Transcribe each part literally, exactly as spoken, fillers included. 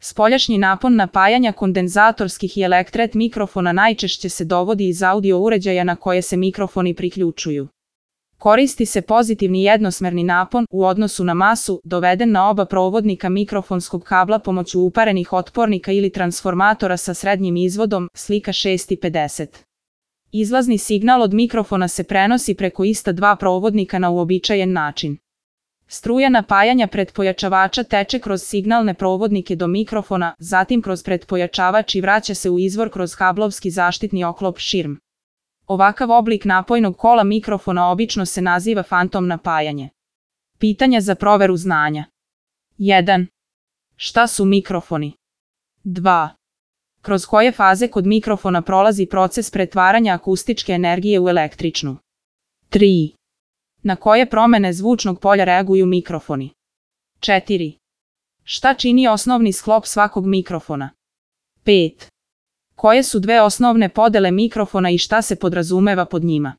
Spoljašnji napon napajanja kondenzatorskih i elektret mikrofona najčešće se dovodi iz audio uređaja na koje se mikrofoni priključuju. Koristi se pozitivni jednosmerni napon u odnosu na masu doveden na oba provodnika mikrofonskog kabla pomoću uparenih otpornika ili transformatora sa srednjim izvodom, slika šest pedeset. Izlazni signal od mikrofona se prenosi preko ista dva provodnika na uobičajen način. Struja napajanja pretpojačavača teče kroz signalne provodnike do mikrofona, zatim kroz pretpojačavač i vraća se u izvor kroz kablovski zaštitni oklop širm. Ovakav oblik napojnog kola mikrofona obično se naziva fantom napajanje. Pitanja za proveru znanja. jedan. Šta su mikrofoni? dva. Kroz koje faze kod mikrofona prolazi proces pretvaranja akustičke energije u električnu? tri. Na koje promene zvučnog polja reaguju mikrofoni? četiri. Šta čini osnovni sklop svakog mikrofona? pet. Koje su dve osnovne podele mikrofona i šta se podrazumeva pod njima?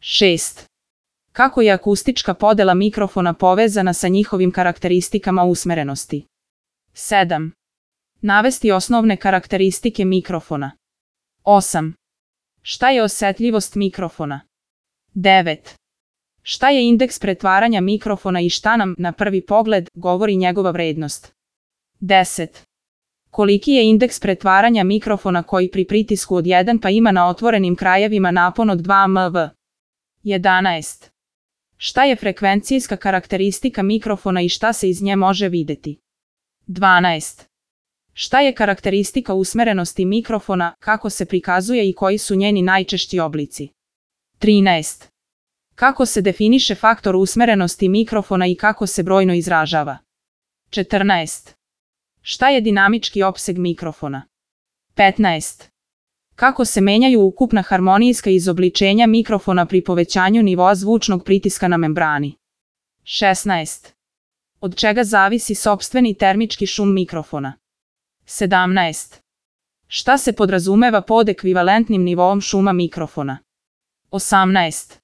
šest. Kako je akustička podela mikrofona povezana sa njihovim karakteristikama usmerenosti? sedam. Navesti osnovne karakteristike mikrofona. osam. Šta je osetljivost mikrofona? devet. Šta je indeks pretvaranja mikrofona i šta nam, na prvi pogled, govori njegova vrednost? deset. Koliki je indeks pretvaranja mikrofona koji pri pritisku od jedan pa ima na otvorenim krajevima napon od dva milivata? jedanaest. Šta je frekvencijska karakteristika mikrofona i šta se iz nje može videti? dvanaest. Šta je karakteristika usmerenosti mikrofona, kako se prikazuje i koji su njeni najčešći oblici? trinaest. Kako se definiše faktor usmerenosti mikrofona i kako se brojno izražava? četrnaest. Šta je dinamički opseg mikrofona? petnaest. Kako se menjaju ukupna harmonijska izobličenja mikrofona pri povećanju nivoa zvučnog pritiska na membrani? šesnaest. Od čega zavisi sopstveni termički šum mikrofona? sedamnaest. Šta se podrazumeva pod ekvivalentnim nivoom šuma mikrofona? osamnaest.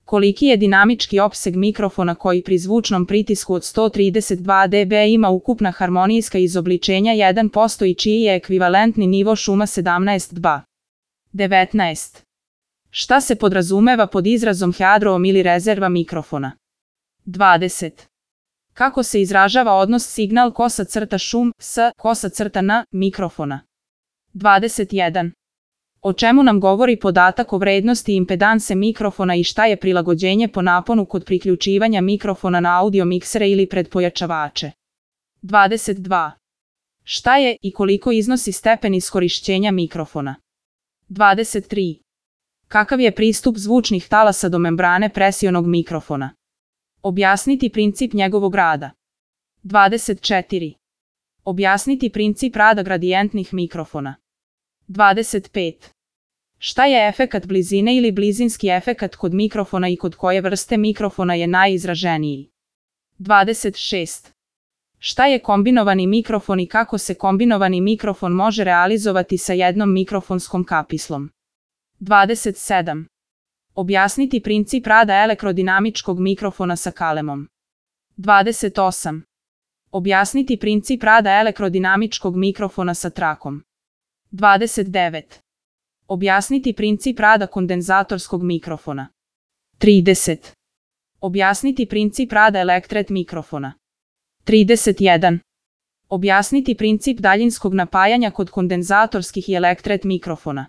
Koliki je dinamički opseg mikrofona koji pri zvučnom pritisku od sto trideset dva decibela ima ukupna harmonijska izobličenja jedan posto i čiji je ekvivalentni nivo šuma sedamnaest decibela? devetnaest. Šta se podrazumeva pod izrazom headroom ili rezerva mikrofona? dvadeset. Kako se izražava odnos signal kosa crta šum s kosa crta na mikrofona? dvadeset jedan. O čemu nam govori podatak o vrednosti impedanse mikrofona i šta je prilagođenje po naponu kod priključivanja mikrofona na audio miksere ili pretpojačavače? dvadeset dva. Šta je i koliko iznosi stepen iskorišćenja mikrofona? dvadeset tri. Kakav je pristup zvučnih talasa do membrane presionog mikrofona? Objasniti princip njegovog rada. dvadeset četiri. Objasniti princip rada gradijentnih mikrofona. dvadeset pet. Šta je efekat blizine ili blizinski efekat kod mikrofona i kod koje vrste mikrofona je najizraženiji? dvadeset šest. Šta je kombinovani mikrofon i kako se kombinovani mikrofon može realizovati sa jednom mikrofonskom kapislom? dvadeset sedam. Objasniti princip rada elektrodinamičkog mikrofona sa kalemom. dvadeset osam. Objasniti princip rada elektrodinamičkog mikrofona sa trakom. dvadeset devet. Objasniti princip rada kondenzatorskog mikrofona. trideset. Objasniti princip rada elektret mikrofona. trideset jedan. Objasniti princip daljinskog napajanja kod kondenzatorskih i elektret mikrofona.